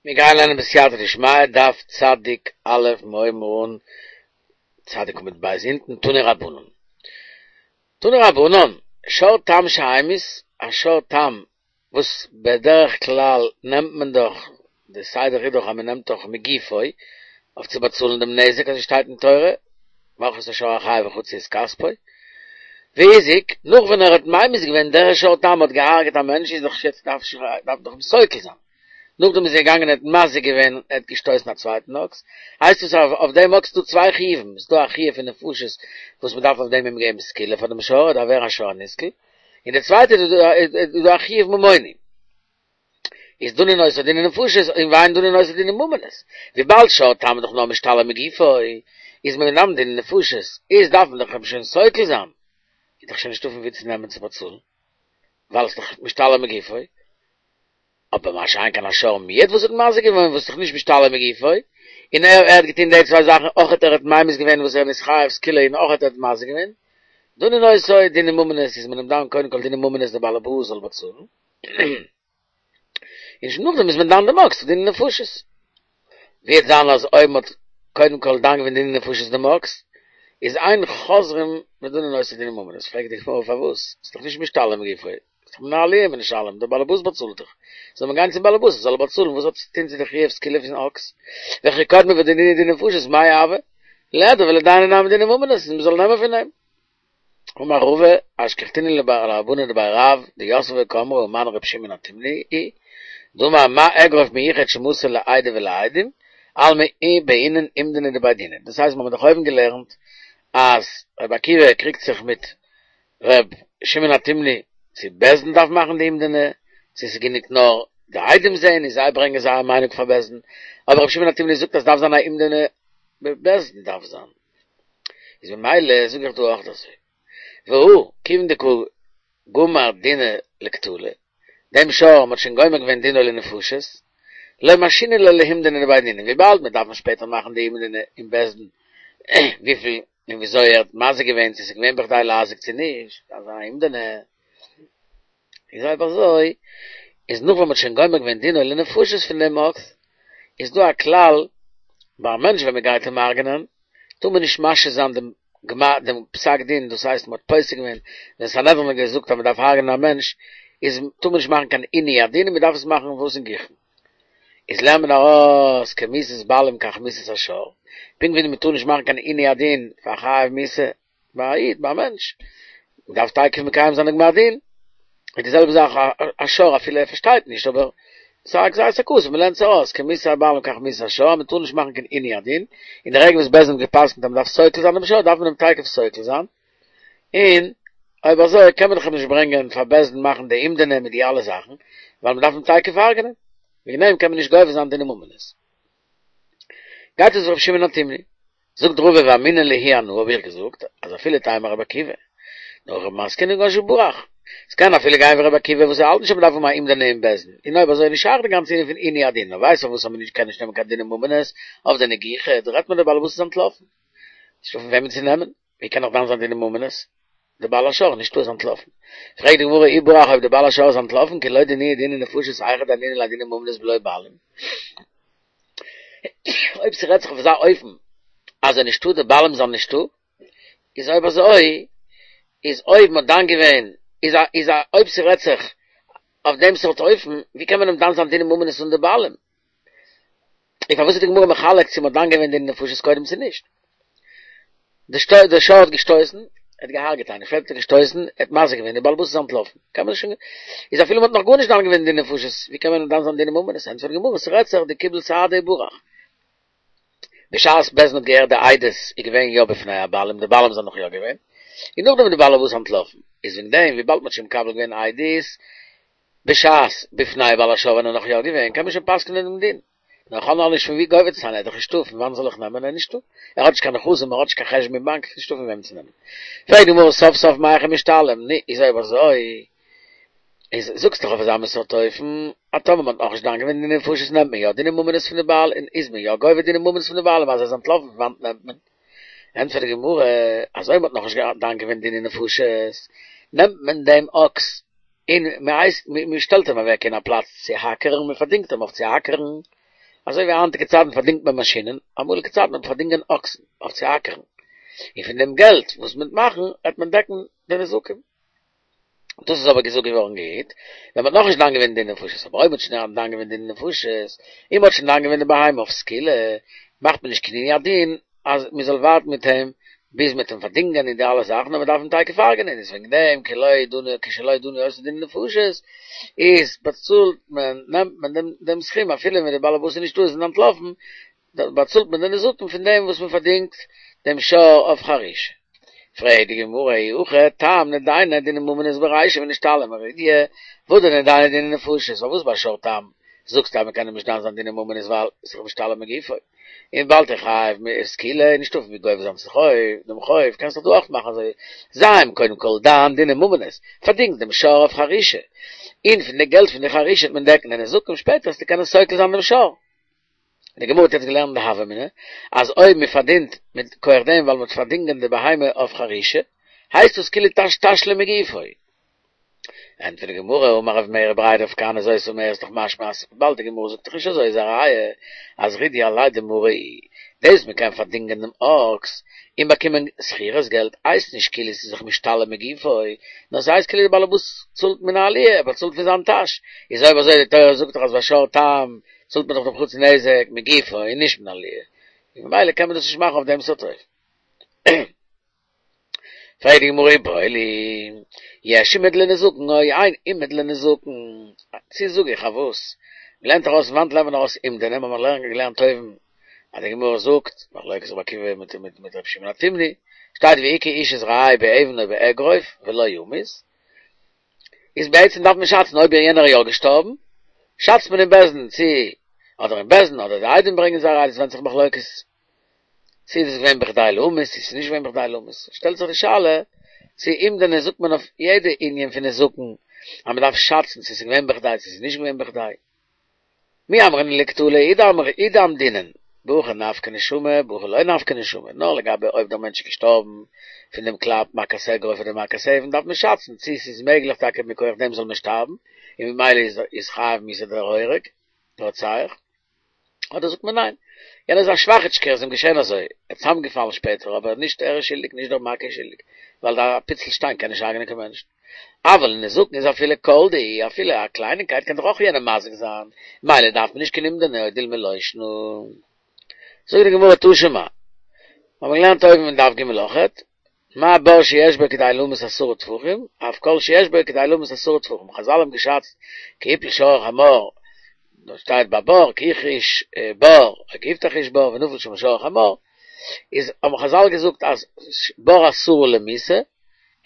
מיר גייען לערנען בסייעתא דשמיא, דף צדיק א' מיר הייבן אן צדיק עמוד ב' אונטן, תנו רבנן. תנו רבנן, שור תם שהמית, א שור תם וואס בדרך כלל נעמט מען דאך, די סדר איז דאך אז מען נעמט דאך מגופו אויף צו באצאלן דעם נזק אזוי שטייט אין תורה, מכרו את השור החי וחצו את כספו, והזיק, נאך ווען ער האט ממית געווען דער שור תם האט געהארגעט א מענטש איז דאך יעצט דארף דארף דאך אים סוקל זיין. נאכדעם איז ער געגאנגען ער האט מזיק געווען ער האט געשטויסן א צווייטן אקס, הייסט עס אז אויף דעם אקס איז דא צוויי חיובים, עס איז דא א חיוב פון נפשות וואס מען דארף אויף דעם אים געבן סקילה פאר דעם שור, ער דארף ווערן א שור הנסקל, און די צווייטע איז דא א חיוב ממוני, איז דנין אותו דיני נפשות און ואין דנין אותו דיני ממונות, וויבאלד שור תם איז דאך נאר משתלם מגופו, איז מען דן דיני נפשות, איז דארף מען דאך אים שוין סוקל זיין, איז דאך שוין נישטא פון וואו צו נעמען צו באצאלן, ווייל עס איז דאך משתלם מגופו. אבער מה שאין כן א שור מועד וואס האט מזיק געווען וואס איז דאך נישט משתלם מגופו, און ער ער האט געטון די צוויי זאכן אויך ער האט ממית געווען וואס ער איז חייב סקילה און אויך ער האט מזיק געווען, דנין אותו דיני ממונות איז מען אים דן קודם כל דיני ממונות דער בעל הבית זאל באצאלן, און שוין נאכדעם איז מען דן דעם אקס דיני נפשות. ווי וועט זיין אז אויב מען האט קודם כל דן געווען דיני נפשות דעם אקס, איז אין חוזרים ודנין אותו דיני ממונות, פרעגט די גמרא פארוואס? ס'איז דאך נישט משתלם מגופו. איז דאך מנהלים משלם, דער באלעבאס באצאלט דאך. זאל מען גיין צום באלעבאס, זאל ער באצאלן, וואס האט צו טון צו די חיוב סקילה פון אקס? וכי קדמו ודנינהו דיני נפשות, מאי הוי? ליהדר ולידייניה נמי דיני ממונות, און מען זאל נעמען פון אים. אמר רבא, אשכחתינהו לרבנן דבי רב, דיתבי וקאמרי הא מני רבי שמעון התימני היא, דאמר מה אגרוף מיוחד שמסר לעדה ולעדים, אלמא בעינן אומדנא דבי דינא. דאס הייסט מיר האבן דאך אויבן געלערנט אז רבי עקיבא קריגט זיך מיט ר' שמעון התימני, צו בית דין דארף מאכן די אומדנא, צו ס'איז גענוג נאר די עדים זעהן און זיי ברענגען זייער מיינונג פאר בית דין, אבער ר' שמעון התימני זאגט אז ס'דארף זיין א אומדנא בבית דין דארף זיין, איז ממילא זאג איך דא אויך אזוי, והא, כיוון דקא גמר דיניה לקטלא, דעם שור מ'האט שוין גומר געווען דינו לנפשות, לא משהינן ליה להומדנא דבי דינא, וויבאלד מ'דארף מען שפעטער מאכן די אומדנא אין בית דין וויפיל און וויאזוי ער האט מזיק געווען, צו ס'איז געווען בכדי להזיק צו נישט, דארף זיין א אומדנא. איז אויב אזוי, איז נאך ווען מ'האט שוין גומר געווען דינו לנפשות פון דעם אקס, איז דא א כלל, ביי א מענטש ווען מ'גייט אים הרג'נען, טאר מען נישט משהה זיין דעם גמר דעם פסק דין, דאס הייסט מ'האט פוסק געווען, ווען סנהדרין האט געזאגט אז מ'דארף הרג'נען א מענטש, איז טאר מען נישט מאכן קיין עינוי הדין און מ'דארף עס מאכן וואס אינגיכן. איז לערנט מען ארויס כמיתת בעלים כך מיתת השור, פונקט ווי מען טאר נישט מאכן קיין עינוי הדין פאר חייב מיתה ביי א איד ביי א מענטש, מען דארף תיכף מקיים זיין די גמר דין, איז די זעלבע זאך א שור אפילו ער פארשטייט נישט אבער ס'איז א גזירת הכתוב מען לערנט עס ארויס כמיתת הבעלים כך מיתת השור אז מען טאר נישט מאכן קיין עינוי הדין, און די רגע וואס בית דין האט גע'פסק'נט אז מען דארף סוקל זיין דעם שור דארף מען אים תיכף סוקל זיין, און אויב אזוי קען מען דאך אים נישט ברענגען פאר בית דין מאכן די אומדנא מיט די אלע זאכן, ווייל מען דארף אים תיכף הרג'נען, וועגן דעם קען מען נישט גובה זיין דיני ממונות. גייט עס ווי רבי שמעון התימני. זאגט רבא ואמינא להו אנא האב איך געזאגט אז אפילו תימא רבי עקיבא, נאר הכי מתקינן כגון שברח. עס קען אפילו גיין ווי רבי עקיבא וואס ער האלט נישט אז מען דארף האבן א אומדנא אין בית דין, און אויב אזוי איז נישט שייך די גאנצע ענין פון עינוי הדין, נאר ווייסט פארוואס אז מען קען נישט נעמען קיין דיני ממונות אויף די נגיחה, דא רעדט מען דער בעל הבית איז אנטלאפן. נישטא פון וועמען צו נעמען. ווי קען איך דן זיין דיני ממונות? דער בעל השור נישטא איז אנטלאפן. פרעגט די גמרא אי ברח אויב דער בעל השור איז אנטלאפן כי לא דנינהו דיני נפשות היכי דיינינן ליה דיני ממונות בלא בעלים. אויב ס'רעדט זיך אויף אזא אופן אז ער נישטא די בעלים זענען נישטא, איז אויב אזוי איז אויב מ'האט דן געווען איז א איז א אויב ס'רעדט זיך אויף דעם סארט אופן ווי קען מען אים דן זיין דיני ממונות אן די בעלים? און פארוואס איז די גמרא מחלק צו מ'האט דן געווען דיני נפשות קודם צו נישט? די שטוי די שור האט געשטויסן, ער האט געהארגעט איינעם, שפעטער האט ער געשטויסן, ער האט מזיק געווען, דער בעל הבית איז אנטלאפן, קען מען שוין, איז אפילו מ'האט נאך גארנישט דן געווען דיני נפשות, ווי קען מען דן זיין דיני ממונות? ענטפערט די גמרא, ס'רעדט זיך דקיבל סהדי וברח. בשעת בית דין האט געהערט די עדות איז געווען יא בפני הבעלים, די בעלים זענען נאך יא געווען, און נאכדעם איז די בעל הבית אנטלאפן, איז וועגן דעם וויבאלד מ'האט שוין מקבל געווען עדות, בשעת בפני בעל השור ווען ער נאך יא געווען קען מען שוין פסק'נען דעם דין. נאר איך האב נאך נישט פון ווי גובה צו זיין ער איז דאך נישטא פון וואנען זאל איך נעמען ער איז נישטא. ער האט נישט קיין נכסים ער האט נישט קיין חשבון אין באנק נישטא פון וועם צו נעמען. פרעגט די גמרא סוף סוף מהיכא משתלם נו איז אויב אזוי איז זאגסט דאך אויף אזא מין סארט אופן אז טאמער מען האט נאכנישט דן געווען דיני נפשות נעמט מען יא דיני ממונות פון די בעל און איז מען יא גובה דיני ממונות פון די בעלים אז ער איז אנטלאפן פון וואנעט נעמט מען? ענטפערט די גמרא אז אויב מען האט נאכנישט דן געווען דיני נפשות נעמט מען דעם אקס און מען הייסט, מען שטעלט אים אוועק אין א פלאץ צו האקערן, מען פארדינגט אים אויף צו האקערן. אזוי ווי היינטיגע צייטן פארדינגט מען מאשינען, אמאליגע צייטן האט מען פארדינגען אקסן אויף צו אקערן, און פון דעם געלט וואס מען וועט מאכן וועט מען דעקן די נזקים. דאס איז אבער געזאגט געווארן גוט, ווען מ'האט נאכנישט דן געווען דיני נפשות, אבער אויב מ'האט שוין דן געווען דיני נפשות, און מ'האט שוין דן געווען די בהמה אויף סקילה, מאכט מען נישט קיין עינוי הדין אז מ'זאל ווארטן מיט אים ביז מ'וועט אים פארדינגען און די אלע זאכן, נאר מ'דארף אים תיכף הרג'נען, איז וועגן דעם כי לא דנו כשלא דנו אותו דיני נפשות, איז באצאלט מען, נעמט מען דעם דעם סכום אפילו ווען די בעל הבית איז נישטא איז אנטלאפן, באצאלט מען די נזקים פון דעם וואס מ'פארדינגט דעם שור אויף חרישה. פרעגט די גמרא אי הכי תם נידייניה דיני ממונות ברישא ונשתלם מרידיא, והדר נידייניה דיני נפשות, פארוואס ביי שור תם זאגסטו אז מ'קען אים נישט דן זיין דיני ממונות ווייל ס'איז דאך משתלם מגופו, און וויבאלד ער חייב סקילה איז נישטא פון ווי גובה זיין צו דעם חוב, קענסט דאך דא אויך מאכן אזוי, זיי אים קודם כל דן דיני ממונות, פארדינג דעם שור אויף חרישה, און פון די געלט פון די חרישה וועט מען דעקן די נזקים, שפעטער וועסטו קענען סוקל זיין דעם שור. די גמרא האט יעצט געלערנט די הוה אמינא אז אויב מען פארדינט מיט כח דעם ווייל מען האט פארדינגען די בהמה אויף חרישה הייסט עס כאילו תש תשלום מגופו. ענטפערט די גמרא אמר רב מרי בריה דרב כהנא זאת אומרת דאך משמע אז וויבאלד די גמרא זאגט דאך נישט אזוי איז א ראיה אז רידיא עליה דמרא דאס מען קען פארדינגען דעם אקס און באקומען שכירות געלט הייסט נישט כאילו ס'איז זיך משתלם מגופו נאר ס'הייסט כאילו די בעלעבאס צאלט מן העליה ער באצאלט פון זיין טאש איז אויב אזוי די תורה זאגט דאך אז ביי שור תם צאלט מען דאך דעם חצי נזק מגופו און נישט מן העליה, און ממילא קען מען דאס נישט מאכן אויף דעם סארט אופן. פרעגט די גמרא איבעיא להו, יש אומד לנזקין או אין אומד לנזקין, צו זאג איך אז וואס? מ'לערנט ארויס פון וואנעט לערנט מען ארויס אומדנא, האבן מיר געלערנט אויבן אז די גמרא זאגט, מחלוקת רבי עקיבא מיט מיט רבי שמעון התימני, שטייט והכה איש את רעהו באבן או באגרוף ולא ימות, איז בעצם דארף מען שאצן אויב יענער איז יא געשטארבן, שאצט מען אין בית דין צו אדער אין בית דין אדער די עדים ברענגען זיי א ראיה, עס ווענדט זיך מחלוקת צו איז עס געווען בכדי להמית צו עס איז נישט געווען בכדי להמית, שטעלט זיך די שאלה צו אומדנא זאגט מען אויף יעדע ענין פון נזקין אז מען דארף שאצן צו עס איז געווען בכדי צו עס איז נישט געווען בכדי. מי אמרינן לקטלא הוא דאמדינן, בהכא נפקא נשמה בהכא לא נפקא נשמה, נאר לגבי אויב דער מענטש איז געשטארבן פון דעם קלאפ מכת אגרוף אדער מכת אבן דארף מען שאצן צי ס'איז מעגליך טאקע מכח דעם זאל מען שטארבן און ממילא איז חייב מיתה דער הורג, דער רוצח, אדער זאגט מען ניין, יענער איז א שוואכיטשקער איז אים געשען אזוי, ער איז צוזאמגעפאלן שפעטער אבער נישט ער איז שולדיג נישט דער מכה איז שולדיג, ווייל א פיצל שטיין קען נישט הרג'נען קיין מענטשן. אבל לנזקין איז אפילו כל דהו, אפילו א קלייניקייט קען דאך אויך יענעם מזיק זיין, מילא דארף מען נישט קיין אומדנא או דילמא לא שנא. זאגט די גמרא תא שמע, מיר האבן געלערנט אויבן אין דף ג אויכעט, מה בור שיש בו כדי להמית עשרה טפחים, אף כל שיש בו כדי להמית עשרה טפחים, חזל האבן געשאצט כי הפיל שור או חמור, דאס שטייט ביי בור, כי החריש בור, או כי הבתח איש בור ונפל שם שור או חמור, איז האבן חזל געזאגט אז בור עשרה למיתה,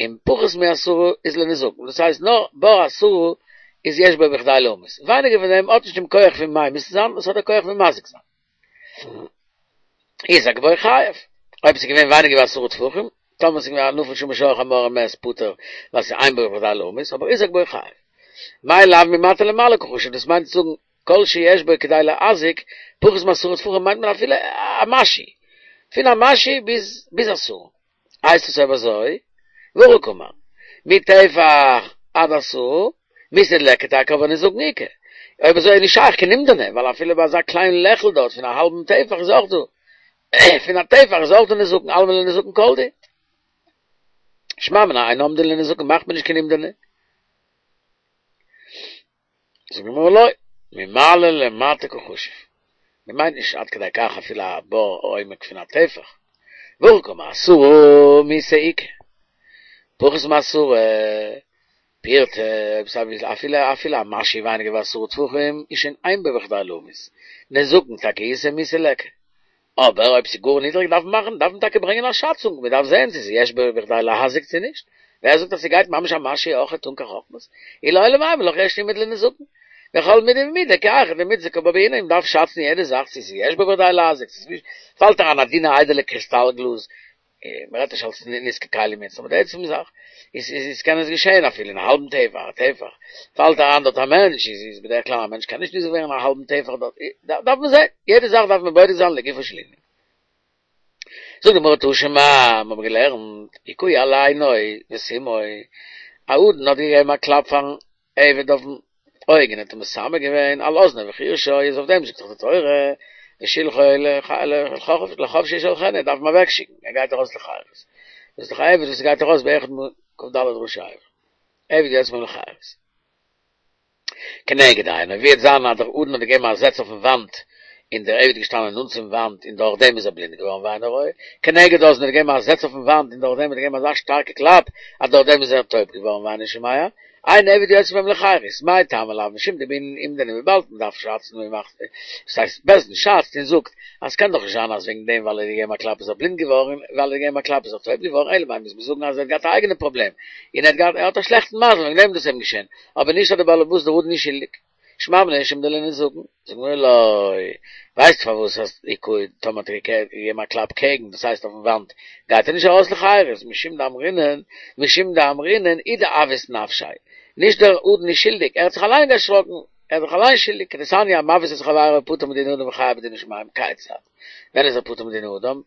און פחות מעשרה איז לנזקין, דאס הייסט נאר בור עשרה איז יש בו בכדי להמית, ווייניגער פון דעם האט נישט דעם כח פון ממית זיין, עס האט די כח פון מזיק זיין. הוזק בו חייב, אויב עס איז געווען ווייניגער ווי עשרה טפחים, טאמער עס איז געווען א נפל שמה שור או חמור ומת פטור, ווייל עס איז אין בו בכדי להמית, אבער הוזק בו חייב. מאי לאו ממטה למעלה קא חשיב, דאס מיינט צו זאגן כל שיש בו כדי להזיק, פחות מעשרה טפחים מיינט מען אפילו א משהו, פון א משהו ביז ביז עשרה. הייסט עס אויב אזוי, והכי קאמר, מטפח עד עשרה, מיתה ליכא טאקע אבער נזקין איכא. אויב אזוי איז נישט שייך קיין אומדנא, ווייל אפילו ביי אזא קליין לעכל דארט פון א האלבן טפח איז אויך דא, פון א טפח איז אויך דא נזקין, אלמא לנזקין כל דהו. שמע מינה אין אומדין לנזקין מאכט מען נישט קיין אומדנא. זאגט די גמרא לא, ממעלה למטה קא חשיב, מען מיינט נישט עד כדי כך אפילו א בור עומק פון א טפח, והכי קאמר עשרה מיתה איכא, פחות מעשרה פירתא, אויב ס'איז אפילו אפילו א משהו ווייניגער ווי עשרה טפחים איז שוין אין בו בכדי להמית, נזקין טאקע איתא מיתה ליכא, אבער אויב ס'איז גאר נידריג דארף מען מאכן, דארף מען טאקע ברענגען א שאצונג, מען דארף זען צו ס'איז יש בו בכדי להזיק צו נישט, ווער זאגט אז ס'גייט ממש א משהו אויכעט אן קיין חכמות, אי לעולם אימא לך יש אומד לנזקין, וכל מידי ומידי כי היכי דמיתזקא בה בעינן, מען דארף שאצן יעדע זאך צו ס'איז יש בו בכדי להזיק צו ס'איז נישט, פאלט אריין א דינע איידעלע קריסטאל גלאז, מען רעדט נישט אלס נזקי כלים יעצט, אבער די עצם זאך איז איז קען עס געשען אפילו אין א האלבן טפח, א טפח, פאלט אריין דארט א מענטש, איז איז בדרך כלל א מענטש קען נישט ניזוק ווערן א האלבן טפח דארט, דארף מען זען, יעדע זאך דארף מען בודק זיין לגופו של ענין. זאגט די גמרא תא שמע, מיר האבן געלערנט, הכהו על עינו וסימאו, א אדון האט געגעבן א קלאפ פארן עבד אויפן. אויג און האט אים מסמא געווען על אזנו וחרשו, איז אויף דעם זאגט דאך די תורה ושלחו לחפשי ישלחנו, דארף מען אוועקשיקן, ער גייט ארויס לחירות. דאס איז דאך א עבד וואס גייט ארויס באחד מכ"ד ראשי אבר. עבד יוצא בהם לחירות. כנגד עינו, ווי וועט זיין אז דער אדון האט געגעבן א זעץ אויפן וואנט און דער עבד איז געשטאנען נאנט צום וואנט און דורך דעם איז ער בלינד געווארן ואינו רואה, כנגד אזנו האט געגעבן א זעץ אויפן וואנט און דורך דעם האט ער געגעבן אזא שטארקע קלאפ אז דורך דעם איז ער טויב געווארן ואינו שומע, אין עבד יוצא בהם לחירות, מאי טעמא לאו משום דבעינן אומדנא וויבאלד מען דארף שאצן און מאכט דאס הייסט בית דין שאצט און זאגט אז ס'קען דאך נישט זיין אז וועגן דעם ווייל ער האט געגעבן א קלאפ איז ער בלינד געווארן און ווייל ער האט געגעבן א קלאפ איז ער טויב געווארן אלא מאי מוז מען זאגן אז ער האט געהאט א אייגענע פראבלעם און ער האט געהאט ער האט א שלעכטן מזל וועגן דעם איז דאס אים געשען אבער נישט אז דער בעל הבית דער אדון איז שולדיג. שמע מינה יש אומדנא לנזקין, זאגט די גמרא לא, ווייסט פארוואס אז הכהו טאמער האט ער געגעבן א קלאפ קעגן דאס הייסט אויפן וואנט גייט ער נישט ארויס לחירות משום דאמרינן משום דאמרינן הוא דאבעית נפשיה נישט דער אדון איז שולדיג ער האט זיך אליין דערשראקן ער איז זיך אליין שולדיג כדתניא המבעית את חברו פטור מדיני אדם וחייב בדיני שמים כיצד ווען איז ער פטור מדיני אדם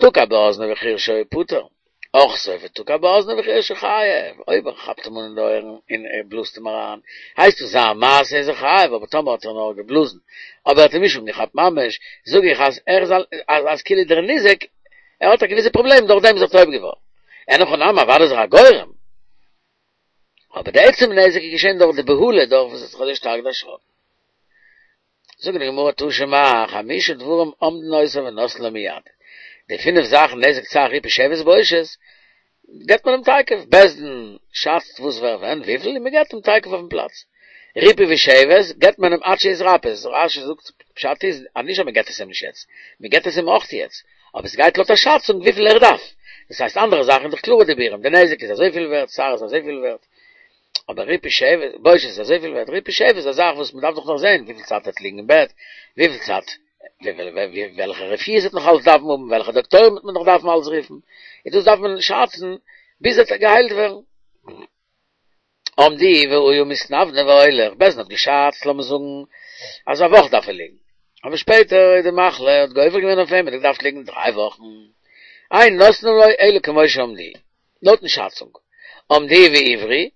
תקע באזנו וחרשו פטור, אחתו ותקע באזנו וחרשו חייב, אויב ער כאפט אים אן אין די אויערן און ער בלאזט אים אריין, הייסט עס זיין מעשה איז ער חייב, אבער טאמער האט ער נאר געבלאזן, אבער ער האט אים נישט אנגעכאפט ממש, זאג איך אז ער איז אז כאילו דער ניזק, ער האט א געוויסע פראבלעם דורך דעם איז ער טויב געווארן. אין הכי נמי אוודאי איז ער א גורם. אבער די עצם נזק איז געשען דורך די בהלה, דורך וואס ער האט זיך אזוי שטארק דערשראקן. זאגט די גמרא תא שמע, חמשה דברים אומדין אותו ונותנין לו מיד, די פינף זאכן נזק צער ריפוי שבת בושת, געבט מען אים תיכף, בית דין שאצט וואס ווער ווען וויפיל און מען געבט אים תיכף אויפן פלאץ, ריפוי ושבת געבט מען אים עד שיתרפא, רש"י זאגט פשט איז אז נישט אז מען געבט עס אים נישט יעצט, מען געבט עס אים אויך יעצט, אבער עס גייט לויט א שאצונג וויפיל ער דארף, דאס הייסט אנדערע זאכן איז דאך קלארע דיבורים, די נזק איז אזויפיל ווערט, צער איז אזויפיל ווערט. אבער ריפוי שבת, בושת איז אזויפיל ווערט, ריפוי שבת איז א זאך וואס מ'דארף דאך נאך זען וויפיל צייט ער וועט ליגן אין בעט, וויפיל צייט, וועלכע רפואות ער וועט נאך אלץ דארפן האבן, וועלכע דאקטוירים וועט מען נאך דארפן אלץ רופן, און דאס דארף מען שאצן ביז ער וועט געהיילט ווערן. אמדוהו והיה מתנוונה והולך, בית דין האט געשאצט, לאמיר זאגן אז א וואך דארף ער ליגן, אבער שפעטער איז די מחלה האט גובר געווען אויף אים, ער האט געדארפט ליגן דריי וואכן, אין נותנין לו אלא כמו שאמדוהו. לויטן שאצונג אמדוהו והבריא,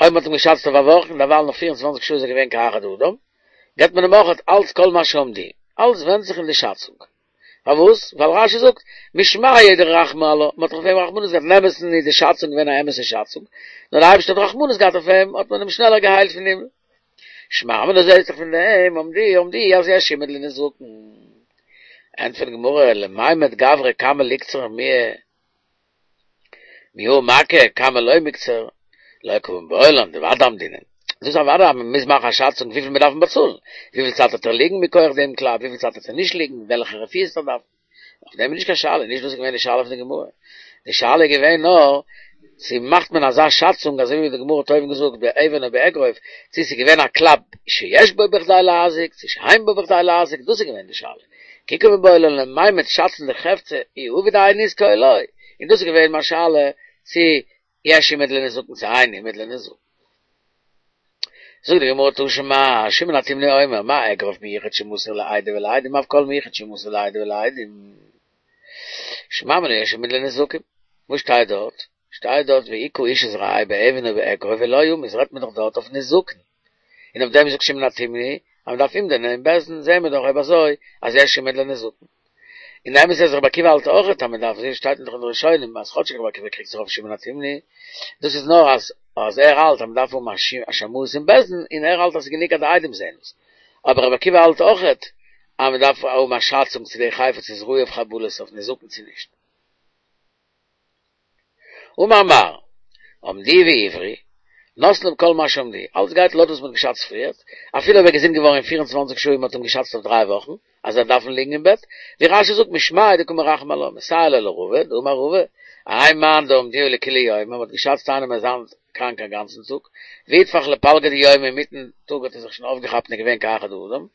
אויב מ'האט אים געשאצט אויף א וואך און דערווייל נאך 24 שעה איז ער געווען כאחד האדם, געבט מען אים אויך אלץ כל מה שאמדוהו, אלץ ווענדט זיך אין די שאצונג. פארוואס? ווייל רש"י זאגט, משמיה דרחמי עלה, מ'האט דאך אויף אים רחמנות געהאט, אין אמת'ן איז די שאצונג געווען א אמת'ע שאצונג, נאר דער אייבערשטער האט רחמנות געהאט אויף אים, האט מען אים שנעלער געהיילט פון הימל. שמע מינה זעהט זיך פון דעם אמדוהו אמדוהו אז יש אומד לנזקין. ענטפערט די גמרא, למימד גברא כמה ליקצר מיהא מיהא מכה כמה לא מיקצר, לא קא מיבעיא לן דודאי אמדינן. דאס איז אוודאי אז מען מוז מאכן א שאצונג וויפיל מיר דארפן באצאלן, וויפיל צייט וועט ער ליגן מכח דעם קלאפ, וויפיל צייט וועט ער נישט ליגן, וועלכע רפואות ער דארף. אויף דעם איז נישט קיין שאלה, נישט דאס איז געווען די שאלה פון די גמרא. די שאלה איז געווען נאר צו מאכט מען אזא שאצונג אזוי ווי די גמרא האט אויבן געזאגט באבן או באגרוף, צו ס'איז געווען א קלאפ שיש בו בכדי להזיק, צו שאין בו בכדי להזיק, דאס איז געווען די שאלה. כי קא מיבעיא לן למימד שאצן די חפצא אי עביד האי נזקא או לא, און דאס איז געווען מיין שאלה צו יש אומד לנזקין צו אין אומד לנזקין. זאגט די גמרא תא שמע, שמעון התימני אומר, מה אגרוף מיוחד שמסור לעדה ולעדים אף כל מיוחד שמסור לעדה ולעדים. שמע מינה יש אומד לנזקין. וואס שטייט דארט? שטייט דארט והכה איש את רעהו באבן או באגרוף ולא ימות רעדט מען דאך דארט אויף נזקין. און אויף דעם זאגט שמעון התימני אז מען דארף אומדנא אין בית דין זעהן מיר דאך אויב אזוי אז יש אומד לנזקין. און די אמת איז רבי עקיבא האלט אויכעט אז מען דארף אזוי שטייט דאך אין די ראשונים אז כאטשיג רבי עקיבא קריגט זיך אויף שמעון התימני דאס איז נאר אז אז ער האלט אז מען דארף האבן א שמאות אין בית דין און ער האלט אז ס'איז גענוג אז די עדים זעהן עס אבער רבי עקיבא האלט אויכעט אז מען דארף האבן א שאצונג צו די חפץ איז ראוי אויף חבלות אויף נזקין צו נישט. אמר מר, אמדוהו והבריא, נותנין לו כל מה שאמדוהו, אלץ גייט לויט וואס מען האט געשאצט פריערט, אפילו אויב ער איז געזונט געווארן אין פיר און צוואנציג שעה און מען האט אים געשאצט אויף דריי וואכן אז ער דארפן ליגן אין בעט, ווי רש"י זאגט משמיה דקא מרחמי עלה, מסייע ליה לרבא, דאמר רבא, האי מאן דאמדוהו לכולי יומא, מען האט געשאצט איינעם ער זיין קראנק א גאנצן טאג, ואיתפח לפלגא דיומא אינמיטן טאג האט ער זיך שוין אויפגעכאפט און איז געווען כאחד האדם,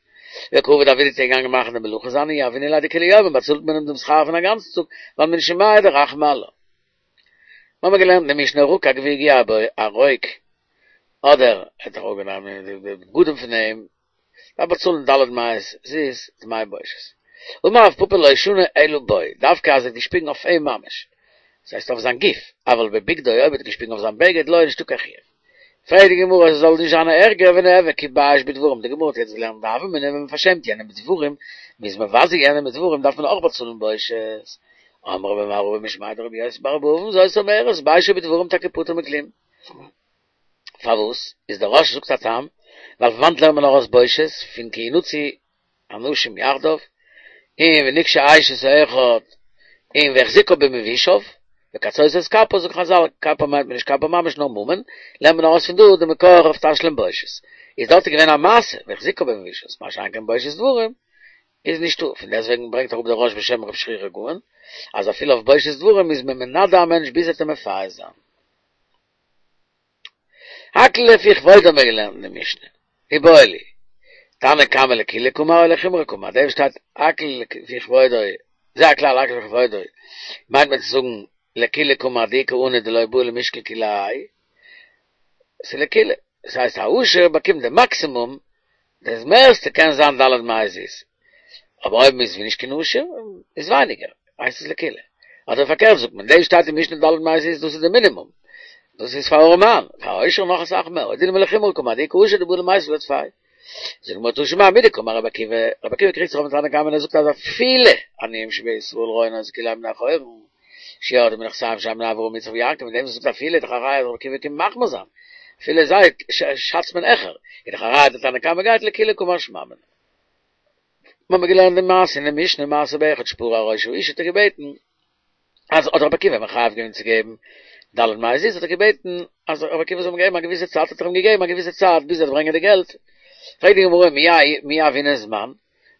וקא עביד עבידתיה איז געגאנגען מאכן די מלאכה זיינע יהבינן ליה דכולי יומא באצאלט מען אים דעם שכר פון א גאנצן טאג ווייל מן שמיא דרחמי עלה. מ'האמיר געלערנט אין די משנה רקק והגיע בו א רוק אדער האט ער אראפגענומען די בגדים פון אים דארף באצאלן ד' מאות זוז דמי בושת. אמר רב פפא לא שנו אלא בו דווקא אז ער האט געשפיגן אויף אים ממש דאס הייסט אויף זיין גוף אבל בבגדו אויב ער האט געשפיגן אויף זיין בגד לא איז נישטא קיין חיוב. פרעגט די גמרא עס זאל נישט זיין ערגער וניעור כי בייש בדברים, די גמרא האט יעצט געלערנט די הוה אמינא ווען מען פארשעמט יענעם מיט דברים, מען איז מבזה יענעם מיט דברים דארף מען אויך באצאלן בושת. אמר רבי מר אבא משמיה דרבי יוסי בר אבא אבין זאת אומרת ביישו בדברים טאקע פטור מכלום. פארוואס? איז דער רא"ש זאגט א טעם, ווייל פון וואנט לערנט מען ארויס בושת? פון כי ינצו אנשים יחדיו, און ונגשה אשת האחד, און והחזיקה במבושיו, וקצות את כפה, זאגן חזל, כפה מיינט מען נישט כפה ממש נאר ממון, לערנט מען ארויס פון דא די מקור אויף תשלום בושת. איז דארט געווען א מעשה, והחזיקה במבושיו, מה שאין כן בושת דברים, איז נישטא, פון דעסטוועגן ברענגט אראפ דער רא"ש בשם רב שרירא גאון, אז אפילו אויף בושת דברים איז מען מנדה א מענטש ביז ער וועט אים מפייס זיין. הכל לפי כבודו האבן מיר געלערנט אין די משנה. איבעיא להו. תנא קמא לקולא קאמר או לחומרא קאמר, דער וואס שטייט הכל לפי כבודו, זה הכלל הכל לפי כבודו, מיינט מען צו זאגן לקולא קאמר דאיכא עני דלא בעי למישקל כולי האי, ס'איז לקולא, דאס הייסט א עושר באקומט די מאקסימום, דאס מערסטע קען זיין ד' מאות זוז, אבער אויב מ'איז נישט קיין עושר איז ווייניגער, הייסט עס לקולא. אדער פארקערט זאגט מען, דאס שטייט אין משנה ד' מאות זוז דאס איז די מינימום, דאס איז פאר ארעמאן, פאר א עושר נאך אסאך מער, או דילמא לחומרא קאמר דאיכא עושר דבעי למיתב ליה טפי. זאגט די גמרא תא שמע מדקאמר רבי עקיבא, רבי עקיבא קריגט זיך אויפן תנא קמא און ער זאגט אז אפילו עניים שבישראל רואין אותו כאילו הם בני חורין, שירדו מנכסיהם שאין בני אברהם יצחק ויעקב, מיט דעם וואס ער זאגט אפילו איז דאך א ראיה אז רבי עקיבא קומט מחמיר זיין, אפילו זיי שאצט מען העכער, איז דאך א ראיה אז די תנא קמא גייט לקולא קא משמע לן. מיר האבן געלערנט די מעשה אין די משנה מעשה באחד שפרע ראש האשה האט ער געבעטן אז האט רבי עקיבא מחייב געווען צו געבן ד' מאות זוז האט ער געבעטן אז רבי עקיבא זאל אים געבן א געוויסע צייט האט ער אים געגעבן א געוויסע צייט ביז ער וועט ברענגען די געלט פרעגט די גמרא מי הוינן זמן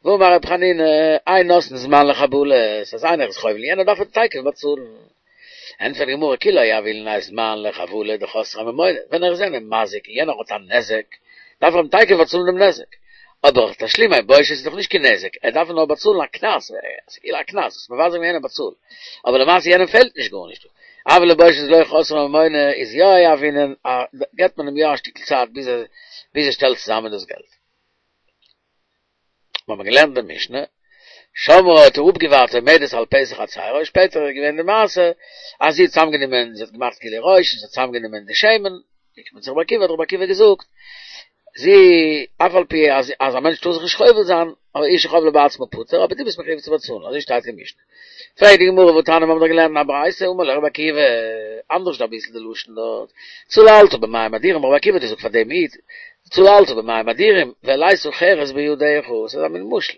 והאמר רבי חנינא אין נותנין זמן לחבלות אז איינער איז חובל יענער דארף ער תיכף באצאלן ענטפערט די גמרא כי לא הוה ליה זמן לחבלה דחסריה ממונא, ווען ער איז יענעם מזיק און יענער האט א נזק, דארף ער אים תיכף באצאלן דעם נזק, אבער תשלומי בושת איז דאך נישט קיין נזק, ער דארף נאר באצאלן א קנס, ס'איז כאילו א קנס, האסט מבזה געווען יענעם באצאל, אבער למעשה יענעם פעלט נישט גארנישט דא, אבל לבושת דלא חסריה ממונא איז יא הוינן, געבט מען אים יא א שטיקל צייט ביז ער שטעלט צוזאמען דאס געלט. מיר האבן געלערנט די משנה, שמרה האט ער אפגעווארט עומדת על פתח חצרו, שפעטער איז געווען די מעשה אז זי האט צוזאמגענומען, זי האט געמאכט גילוי ראש און זי האט צוזאמגענומען די שמן, געקומען צו רבי עקיבא האט רבי עקיבא געזאגט, זי, אף על פי אז אז א מענטש טאר זיך נישט חובל זיין, אבער אשה חבלה בעצמה פטור, אבער דו ביסט מחויב צו באצאלן, אזוי שטייט אין משנה. פרעגט די גמרא והתניא מיר האבן דאך געלערנט אין א ברייתא אמר לו רבי עקיבא, אנדערש אביסל די לשון דארט, צללת במים אדירים, רבי עקיבא האט געזאגט פאר דעם איד, צללת במים אדירים, והעלית חרס בידך, ס'איז א מין משל,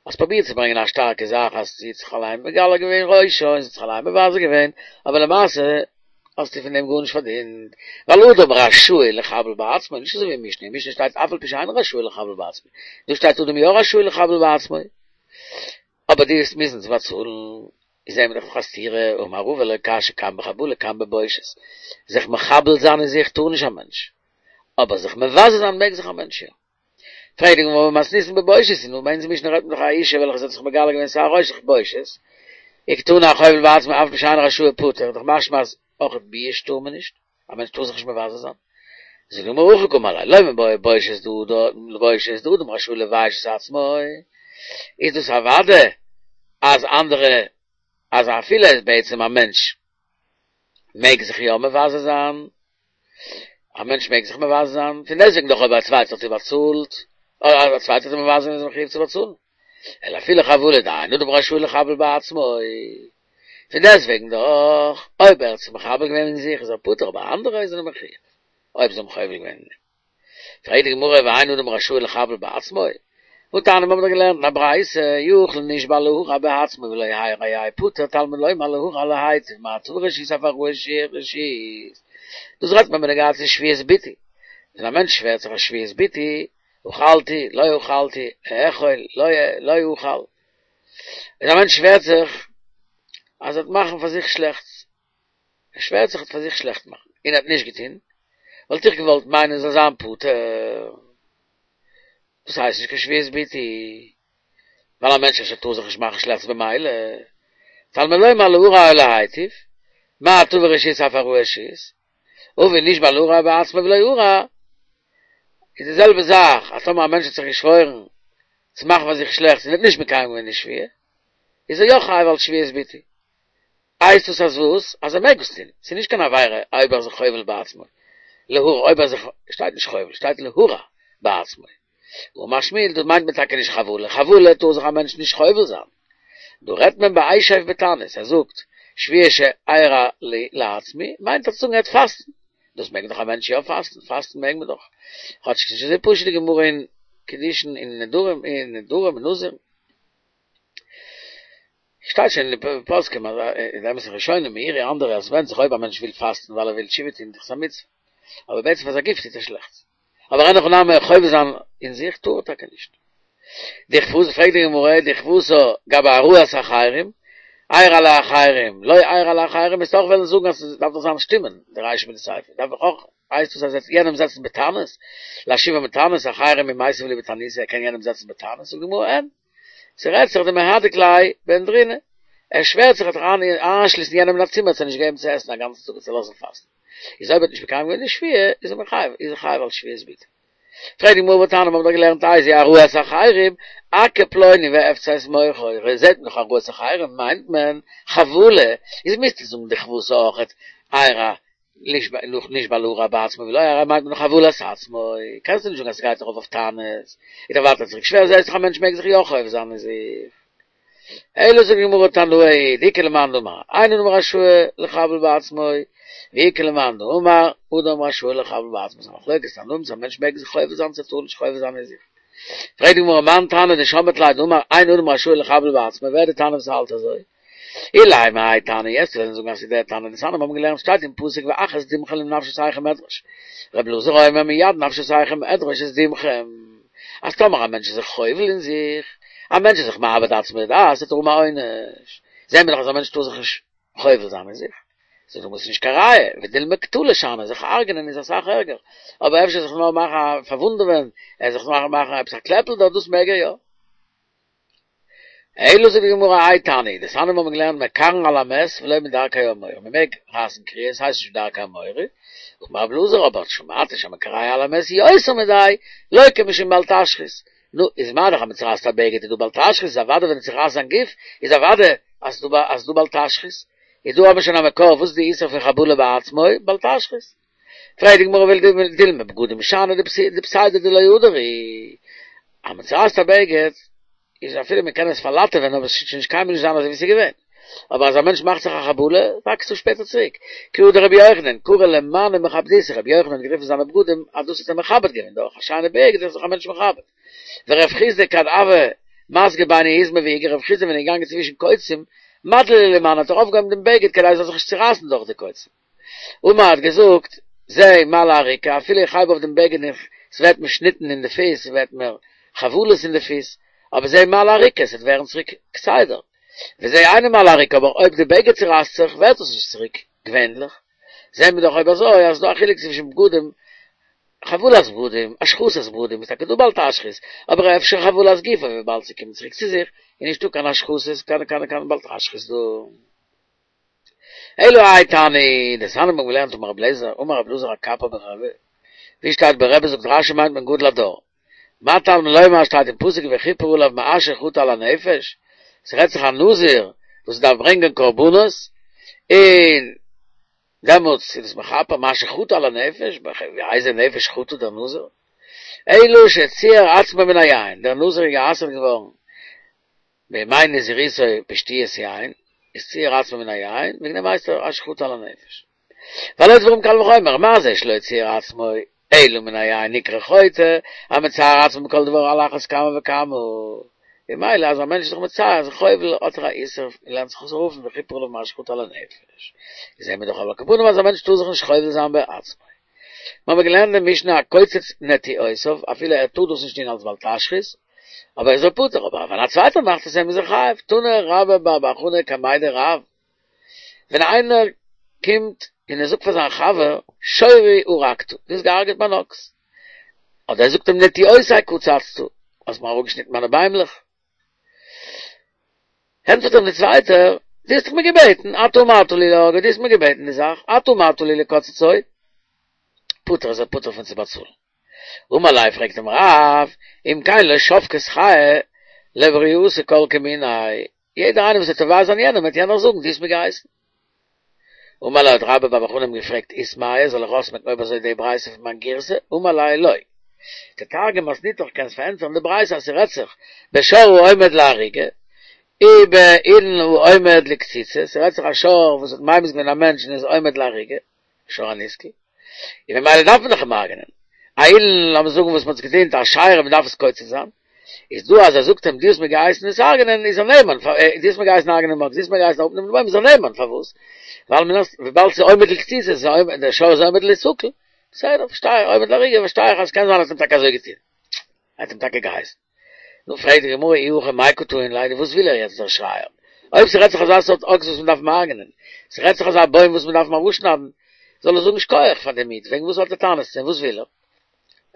האסט פרובירט צו ברענגען א שטארקע זאך אז זי האט זיך אליין מגלה געווען ראשה און זי האט זיך אליין מבזה געווען, אבער למעשה האסטו פון דעם גארנישט פארדינט, ווייל אדם רשאי לחבל בעצמו, נישט אזוי ווי אין משנה, אין משנה שטייט אף על פי שאינו רשאי לחבל בעצמו, דא שטייט אדם יא רשאי לחבל בעצמו. אבער דו וועסט מוזן צו באצאלן, איז זעהן מיר דאך א סתירה, אמר רבא לא קשיא כאן בחבלה כאן בבושת, זיך מחבל זיין אין זיך טאר נישט א מענטש, אבער זיך מבזה זיין מעג זיך א מענטש יא. פרעגט די גמרא מתניתין בבושת, נו ביי אונזער משנה רעדט מען דאך א אישה וועלכע זי האט זיך מגלה געווען שער ראשה בושת, וקתני החובל בעצמו אף על פי שאינו רשאי פטור, דאך משמע אז אויך ביאוש טאר מען נישט. א מענטש טאר זיך נישט מבזה זיין. זאגט די גמרא הכי קאמר ליה, לא מיבעיא בושת דאדם, בושת דאדם רשאי לבייש את עצמו, איז דאס אוודאי אז אנדערע, אז אפילו בעצם א מענטש מעג זיך יא מבזה זיין, א מענטש מעג זיך מבזה זיין, פון דעסטוועגן דאך אויב א צווייטער האט איר באצאלט, אדער א צווייטער האט אים מבזה געווען איז ער מחויב צו באצאלן. אלא אפילו חבלה דאין אדם רשאי לחבל בעצמו, פון דעסטוועגן דאך, אויב ער האט זיך מחבל געווען אין זיך איז ער פטור אבער אנדערע זענען מחויב אויב זיי האבן חובל געווען אין אים. פרעגט די גמרא ואין אדם רשאי לחבל בעצמו? והתניא מיר האבן דאך געלערנט אין א ברייתא, יכול נשבע להרע בעצמו ולא הרע יהא פטור תלמוד לומר להרע להיטיב מה טבה רשות אף הרעה רשות. דאס רעדט מען בנוגע צו שבועת ביטוי, ווען א מענטש שווערט זיך א שבועת ביטוי, אכלתי, לא אכלתי, אכול, לא לא אכל. ווען א מענטש שווערט זיך אז ער וועט מאכן פאר זיך שלעכטס, ער שווערט זיך ער וועט פאר זיך שלעכט מאכן, און ער האט נישט געטון, וואלט איך געוואלט מיינען זאל זיין פטור. דאס הייסט נישט קיין שבועת ביטוי, ווייל א מענטש אפשר טאר זיך נישט מאכן שלעכטס במילא, תלמוד לומר להרע או להיטיב, מה טבה רשות אף הרעה רשות. אבל נשבע להרע בעצמו ולא הרע, איז די זעלבע זאך אז טאמער א מענטש האט זיך געשוואוירן צו מאכן פאר זיך שלעכטס און האט נישט מקיים געווען די שבועה, איז ער יא חייב אלס שבועת ביטוי. הייסט עס אז וואס? אז ער מעג עס טון, ס'איז נישט קיין עבירה אויב ער איז זיך חובל בעצמו. להרע אויב ער זיך, שטייט נישט חובל, שטייט להרע בעצמו. אמר שמואל, דאס מיינט מען טאקע נישט חבלה, חבלה טאר זיך א מענטש נישט חובל זיין. דא רעדט מען באשב בתענית, ער זאגט, שבועה שארע לי לעצמי, מיינט ער צו זאגן ער וועט פאסטן. דאס מעג דאך א מענטש יא פאסטן, פאסטן מעג מען דאך. כאטש ס'איז נישט אזוי פשוט די גמרא אין קידושין אין נדרים, אין נדרים אין נזיר. שטייט שוין אין די פוסקים אז אין די אמת'ע ראשונים מאירי אנדערע אז ס'ווענדט זיך אויב א מענטש וויל פאסטן ווייל ער וויל תשובה טון דאך איז א מצוה אבער בעצם פאר זיין גוף טוט ער שלעכטס אבער אין הכי נמי חובל זיין אין זיך טאר ער טאקע נישט. דכוותה פרעגט די גמרא דכוותה גבי הרעת אחרים ארע לאחרים לא ארע לאחרים וועסט אויך וועלן זאגן אז ס'דארף דאך זיין שטימען די רישא מיט די סיפא דארף דאך אויך הייסט דאס אז ער יענעם זעצן בתענית להושיבו בתענית אחרים מי מיתיב להו בתעניתא ער קען יענעם זעצן בתענית זאגט די גמרא אין ס'רעדט זיך דמהדק ליה באנדרינא, ער שווערט זיך ער וועט איינשליסן יענעם אין א צימער צו נישט געבן צו עסן א גאנצן טאג און צו לאזן פאסטן, איז אויב ער האט נישט מקיים געווען די שבועה איז ער מחויב, איז ער חייב אלס שבועת ביטול. פרעגט די גמרא והתניא מ'האבן דאך געלערנט איזהו הרעת אחרים, אכה פלוני ואפצע את מוחו, זעט מען דאך הרעת אחרים מיינט מען חבלה, איז מוזטו זאגן דכוותה אויכעט ארע נשבע להרע בעצמו ולא ארע מיינט מען חבלת עצמו, קענסטו נישט זאגן אז ס'גייט ארויף אויף תענית, איז דאך ווייטער צוריק שווער, זעסט דאך א מענטש מעג זיך יא חובל זיין אין זיך. אלא זאגט די גמרא תנאי דאיכא למאן דאמר אין אדם רשאי לחבל בעצמו, ואיכא למאן דאמר אדם רשאי לחבל בעצמו, ס'איז א מחלוקת תנאים צו א מענטש מעג זיך חובל זיין צו טאר נישט חובל זיין אין זיך. פרעגט די גמרא מאן תנא דשמעת ליה דאמר אין אדם רשאי לחבל בעצמו, ווער איז די תנא וואס האלט אזוי? אילימא האי תנא וועסט וועלן זאגן אז ס'איז דער תנא דתניא מיר האבן געלערנט שטייט אין פסוק ואך את דמכם לנפשותיכם אדרוש ר' אלעזר אומר מיד נפשותיכם אדרוש את דמכם אז טאמער א מענטש איז זיך חובל אין זיך א מענטש איז זיך מאבד עצמו לדעת וועט ער האבן א עונש זעהן מיר דאך אז א מענטש טאר זיך נישט חובל זיין אין זיך זאגט די גמרא ס'איז נישט קיין ראיה ודילמא קטלא שאני זיך הרג'נען איז אסאך ערגער אבער אפשר זיך נאר מאכן א פארוואונדעווען ער זיך נאר מאכן עפעס א קלעפל דארט דאס מעג ער יא. אלא זאגט די גמרא האי תנא דתניא מיר האבן געלערנט מקרעין על המת ולא מדרכי האמורי מען מעג רייסן קריעה עס הייסט נישט מדרכי האמורי אמר רבי אלעזר אבער שמעתי שהמקרע על המת יותר מדאי לוקה משום בל תשחית נו איז מה דאך אז מען צורייסט א בגד איז דא בל תשחית איז אוודאי ווען ער צורייסט זיין גוף איז אוודאי אז ס'איז דא בל תשחית איז דא האבן מיר שוין א מקור וואס איז די איסור פון חבלה בעצמו בל תשחית פרעגט די גמרא ודילמא בגדים שאני דפסידא דלא הדר הוא, אז מען צורייסט א בגד איז אפילו מען קען עס פארלאטעווען אבער עס וועט שוין נישט קיינמאל נישט זיין אזוי ווי עס איז געווען, אבער אז א מענטש מאכט זיך א חבלה וואקסט עס שפעטער צוריק, כי הא דרבי יוחנן קרי למאני מכבדיתא, רבי יוחנן האט גערופן זיינע בגדים אז דאס האט ער מכבד געווען, דורך א שיינע בגד איז זיך א מענטש מכבד. ורב חסדא כד הוה מסגי ביני עזמי ואיגרי, רב חסדא ווען ער איז געגאנגען צווישן קוצים, מדלי ליה למאניה האט ער אויפגעהויבן דעם בגד כדי עס זאל זיך נישט צורייסן דורך די קוצים. אמר האט געזאגט, זה מעלה אריקה, אפילו איך הייב אויף דעם בגד און ס'ווערט מיר שניטן אין די פיס, ס'ווערט מיר חבלות אין די פיס, אבער זה מעלה אריקה, ס'וועט ווערן צוריק כסדר. וזה אינו מעלה אריקה, אבער אויב די בגד צורייסט זיך, ווערט עס נישט צוריק געווענליך. זעהן מיר דאך אויב אזוי אז ס'דא א חילוק צווישן בגדים, חבלת בגדים, השחתת בגדים איז טאקע דא בל תשחית, אבער אפשר חבלת גופו וויבאלד ס'קומט צוריק צו זיך, איז נישטא קיין השחתות, קיין קיין קיין בל תשחית דא. אלא האי תנא, דתניא מיר האבן געלערנט אמר רבי אליעזר, אמר רבי אלעזר הקפר ברבי, ווי שטייט ברבי זאגט רשי מיינט מען גדול הדור. מה תלמוד לומר שטייט אין פסוק וכיפר עליו מאשר חטא על הנפש, ס'רעדט זיך א נזיר וואס דארף ברענגען קרבנות, און דעמאלטס איז דאס מכפר מאשר חטא על הנפש, באיזה נפש חטא דער נזיר? אלא שציער עצמו מן היין, דער נזיר איז גע'אסר'ט געווארן בימי נזירותו בשתיית יין, איז ציער עצמו מן היין, וועגן דעם הייסט ער אשר חטא על הנפש. והלא דברים קל וחומר, מה זה שלא ציער עצמו אלא מן היין נקרא חוטא, המצער עצמו בכל דבר על אחת כמה וכמה. ממילא אז א מענטש איז זיך מצער, זיך חובל, האט ער א איסור, און לערנט זיך אויס אויף וכיפר עליו מאשר חטא על הנפש. זעהן מיר דאך על כל פנים אז א מענטש טאר זיך נישט חובל זיין בעצמו. מיר האבן געלערנט אין משנה הקוצץ נטיעותיו, אפילו ער טאר דאס נישט טון אלס בל תשחית, אבער איז ער פטור, אבער ווען א צווייטער מאכט עס אים איז ער חייב, תנא רבה בר בר חנה קמיה דרב, ווען איינער קומט און ער זאגט פאר זיין חבר, שורי הרגת, דו האסט געהארגעט מיין אקס, אדער ער זאגט אים נטיעותי קצצת, האסט מיר אראפגעשניטן מיינע ביימלעך. ענטפערט אים דער צווייטער, דו האסט דאך מיר געבעטן, אתה אמרת לי להורגו, דו האסט מיר געבעטן די זאך, אתה אמרת לי לקוצצו, פטור איז ער פטור פון צו באצאלן. אמר ליה פרעגט אים רב, אם כן לא שבקת חיי לברייתא כל כמיניה, יעדער איינער וואס וועט תובע זיין יענעם וועט יענער זאגן דו האסט מיר געהייסן. אמר ליה האט רבה בר בר חנה אים געפרעגט איסמעיה זאל איך אויסמעקן אויב אזוי די ברייתא פון מיין גירסא? אמר ליה לא. תתרגם מתניתך קענסט פארענטפערן די ברייתא אז ס'רעדט זיך בשור העומד להריגה ובאילן העומד לקציצה, ס'רעדט זיך א שור וואס האט ממית געווען א מענטש און איז עומד להריגה, שור הנסקל, און ממילא דארף מען דאך אים הרג'נען, א אילן לאמיר זאגן וואס מ'האט עס געדינט אשירה מ'דארף עס קוצץ זיין, איז דא אז ער זאגט אים דו האסט מיר געהייסן עס הרג'נען איז ער נאמן, דו האסט מיר געהייסן הרג'נען דעם אקס, דו האסט מיר געהייסן אראפנעמען די בוים איז ער נאמן, פארוואס? ווייל מן הסתם וויבאלד ס'איז עומד לקציצה, דער שור איז עומד ליסקל, בסדר פארשטיי איך, עומד להריגה פארשטיי איך אז ס'קען זיין אז ער האט אים טאקע אזוי געטון, ער האט אים טאקע געהייסן. נו פרעגט די גמרא אי הכי מאי קא טעין ליה, וואס וויל ער יעצט דער שרייער? אויב ס'רעדט זיך אזא סארט אקס וואס מ'דארף אים הרג'נען, ס'רעדט זיך אזא בוים וואס מ'דארף אים אראפשניידן, זאל ער זאגן שכוח פאר דעם איד, וועגן וואס האט ער טענות צו אים, וואס וויל ער?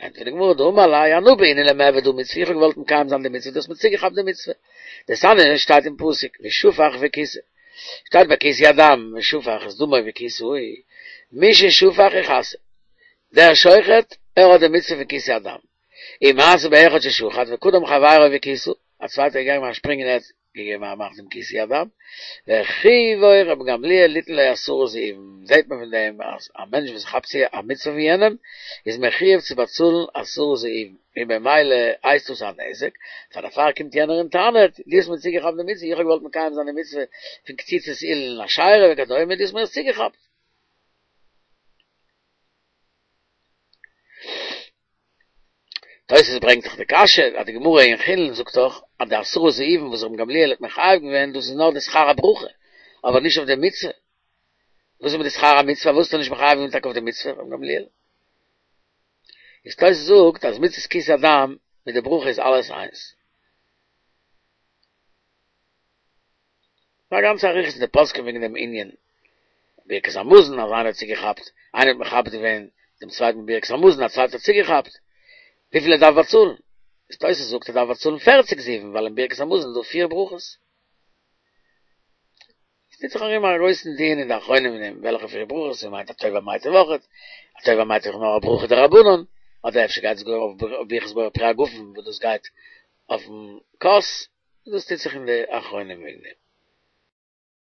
ענטפערט די גמרא דאמר ליה אנא בעינא למעבד הא מצוה, איך האב געוואלט מקיים זיין די מצוה, דו האסט מיר צוגעכאפט די מצוה. דתניא שטייט אין פסוק ושפך וכיסה, שטייט ביי כיסוי הדם ושפך את דמו וכיסהו, מי ששפך יכסה, דער שוחט ער האט די מצוה פון כיסוי הדם, ומעשה באחד ששחט וקדם חברו וכיסה, א צווייטער איז געגאנגען שפרינגען און ער האט געגעבן א מאך דעם כיסוי הדם, וחייבו רבן גמליאל ליתן לו עשרה זהובים, זעט מען פון דעם אז א מענטש וואס כאפט צו א מצוה פון יענעם איז מחויב צו באצאלן עשרה זהובים, און במילא הייסט דאס א נזק, פאר דערפאר קומט יענער און טענה'ט, דו האסט מיר צוגעכאפט די מצוה, איך האב געוואלט מקיים זיין די מצוה פון קציצת אילן אשירה וכדומה, דו האסט מיר עס צוגעכאפט. תוס' ברענגט דאך די קשיא אז די גמרא אין חולין זאגט דאך אז די עשרה זהובים וואס רבן גמליאל האט מחייב געווען דאס איז נאר די שכר הברכה אבער נישט אויף די מצוה, וואס איז מיט די שכר המצוה פארוואס האט ער נישט מחייב געווען טאקע אויף די מצוה רבן גמליאל? איז תוס' זאגט אז מצות כיסוי הדם מיט די ברכה איז אלעס איינס. א גאנצע אריכות אין די פוסקים וועגן דעם ענין ברכת המזון אז איינער האט צוגעכאפט, איינער האט מכבד געווען דעם צווייטן מיט ברכת המזון, א צווייטער האט צוגעכאפט, וויפיל ער דארף באצאלן, איז תוס' זאגט ער דארף באצאלן פערציג זהובים ווייל אין ברכת המזון איז דא פיר ברכות. עס טוט זיך ארום א גרויסן דיון אין די אחרונים אין דעם וועלכע פיר ברכות, מען מיינט הטוב והמיטיב אויכעט, הטוב והמיטיב איז נאר א ברכה דרבנן, אדער אפשר גייט עס גאר אויף ברכת בורא פרי הגפן וואס דאס גייט אויפן כוס, דאס טוט זיך אין די אחרונים וועגן דעם.